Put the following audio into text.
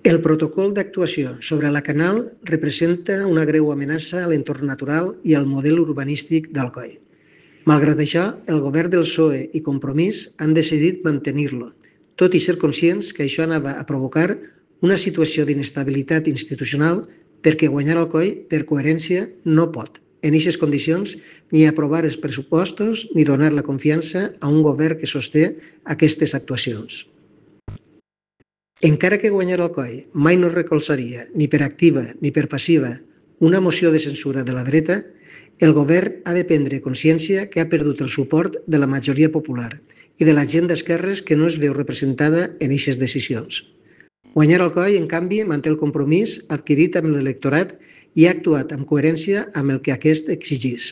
El protocol d'actuació sobre la Canal representa una greu amenaça a l'entorn natural i al model urbanístic d'Alcoi. Malgrat això, el govern del PSOE i Compromís han decidit mantenir-lo, tot i ser conscients que això anava a provocar una situació d'inestabilitat institucional perquè guanyar Alcoi, per coherència, no pot, en aquestes condicions, ni aprovar els pressupostos ni donar la confiança a un govern que sosté aquestes actuacions. Encara que guanyar Alcoi mai no recolzaria, ni per activa ni per passiva, una moció de censura de la dreta, el govern ha de prendre consciència que ha perdut el suport de la majoria popular i de la gent d'esquerres que no es veu representada en aquestes decisions. Guanyar Alcoi, en canvi, manté el compromís adquirit amb l'electorat i ha actuat amb coherència amb el que aquest exigís.